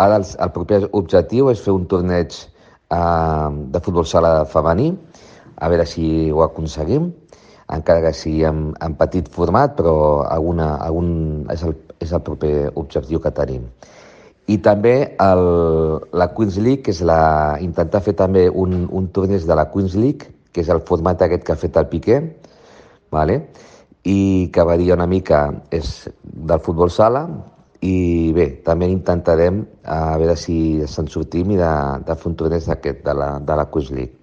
Ara el proper objectiu és fer un torneig de futbol sala femení, a veure si ho aconseguim, encara que sigui en petit format, però és el proper objectiu que tenim. I també la Queens League, que és intentar fer també un torneig de la Queens League, que és el format aquest que ha fet el Piqué, vale? I que varia una mica, és del futbol sala, i bé, també intentarem a veure si se'n sortim i de fer un torneig d'aquest, de la Queens League.